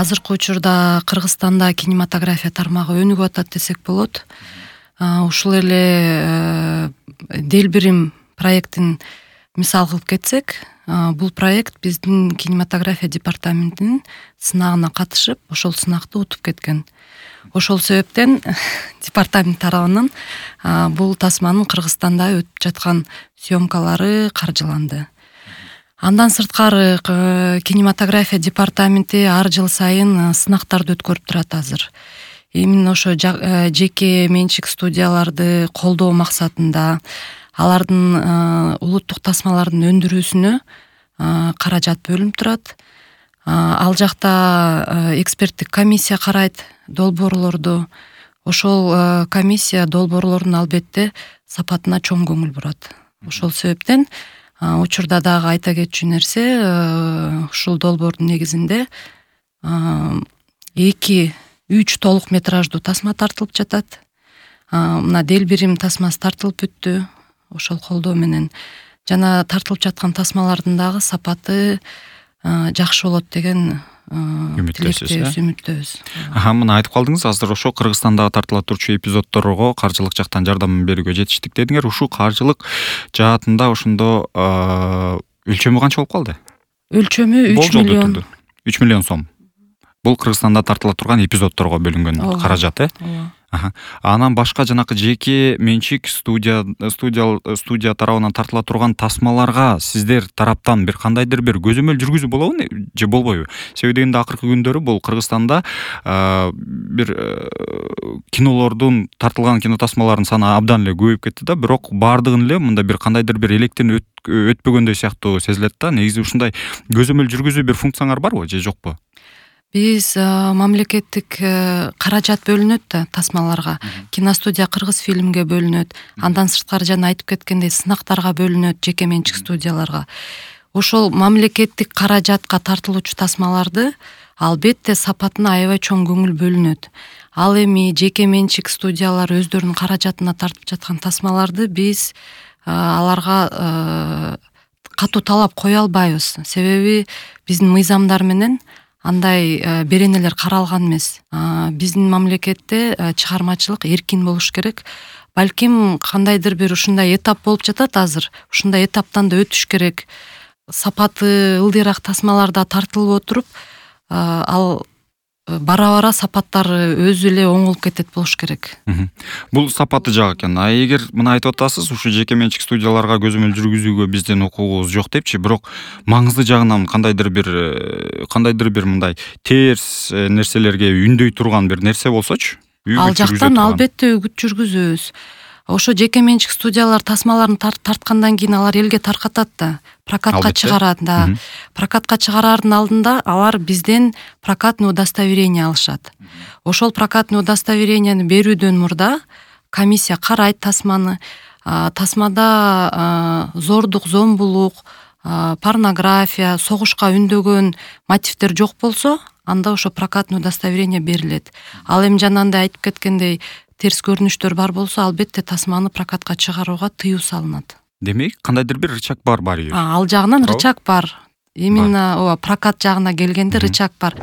азыркы учурда Кыргызстанда кинематография тармагы өнүгүп атат десек болот. Ушул эле Делбирим проектин мисал кылып кетсек, бул проект биздин кинематография департаментинин сынагына катышып, ошол сынакты утуп кеткен. Ошол себептен департамент тарабынан бул тасманын Кыргызстанда өтүп жаткан съемкалары каржыланды. Андан сырткары кинематография департаменти ар жыл сайын сынактарды өткөрүп турат азыр. Именно ошо жеке менчик студияларды колдоо максатында алардын улуттук тасмалардын өндүрүүсүнө каражат бөлүнүп турат. Ал жакта эксперттик комиссия карайт долбоорлорду. Ошол комиссия долбоорлордун албетте сапатына чоң көңүл бурат. Ошол себептен учурда дагы айта кетчү нерсе, ушул долбоордун негизинде 2-3 толук метраждуу тасма тартылып жатат. Мына Делбирим тасмасы тартылып бүттү, ошол колдоо менен. Жана тартылып жаткан тасмалардын дагы сапаты жакшы болот деген үмүттөбүз. Мына айтып калдыңыз, азыр ошо Кыргызстандагы тартыла турчу эпизоддорго каржылык жактан жардам берүүгө жетиштик дедиңер. Ушул каржылык жаатында ошондо өлчөмү канча болуп калды? Өлчөмү 3 миллион. 3 миллион сом. Бул Кыргызстанда тартыла турган эпизоддорго бөлүнгөн каражат, Анан башка жанакы жеке менчик студия тарабынан тартыла турган тасмаларга сиздер тараптан бир кандайдыр бир көзөмөл жүргүзүү болобу же болбойбу? Себеби дегенде акыркы күндөрү бул Кыргызстанда бир кинолордун тартылган кино тасмаларынын саны абдан эле көбөйүп кетти да, бирок баардыгын эле мында бир кандайдыр бир электен өтпөгөндөй сыяктуу сезилет да. Негизи ушундай көзөмөл жүргүзүү бир функцияңар барбы же жокпу? Биз мамлекеттик каражат бөлүнөт да тасмаларга. Киностудия Кыргыз фильмге бөлүнөт. Андан сырткары жана айтып кеткендей сынактарга бөлүнөт, жеке менчик студияларга. Ошол мамлекеттик каражатка тартылуучу тасмаларды албетте сапатына аябай чоң көңүл бөлүнөт. Ал эми жеке менчик студиялар өздөрүнүн каражатына тартып жаткан тасмаларды биз аларга катуу талап кое албайбыз. Себеби биздин мыйзамдар менен андай беренелер каралган эмес. Биздин мамлекетте чыгармачылык эркин болуш керек. Балким кандайдыр бир ушундай этап болуп жатат азыр. Ушундай этаптан да өтүш керек. Сапаты ылдыйраак тасмаларда тартылып отуруп, ал бара-бара сапаттары өзү эле оңолуп кетет болуш керек. Бул сапаты жак экен. Эгер мына айтып атасыз, ушу жеке менчик студияларга көзөмөл жүргүзүүгө биздин укугубуз жок депчи, бирок маңызды жагынан кандайдыр бир мындай терс нерселерге үндөй турган бир нерсе болсочу? Ал жактан албетте үгүт жүргүзөбүз. Ошо жеке менчик студиялар тасмаларын тарткандан кийин алар элге таркатат да, прокатка чыгарат да. Прокатка чыгарардын алдында алар бизден прокатный удостоверение алышат. Ошол прокатный удостоверениени берүүдөн мурда комиссия карайт тасманы. Тасмада зордук, зомбулук, порнография, согушка үндөгөн мотивдер жок болсо, анда ошо прокатный удостоверение берилет. Ал эми жанагындай айтып кеткендей терс көрүнүштөр бар болсо, албетте тасманы прокатка чыгарууга тыюу салынат. Демек, кандайдыр бир рычаг бар Ал жагынан рычаг бар. Именно прокат жагына келгенде рычаг бар.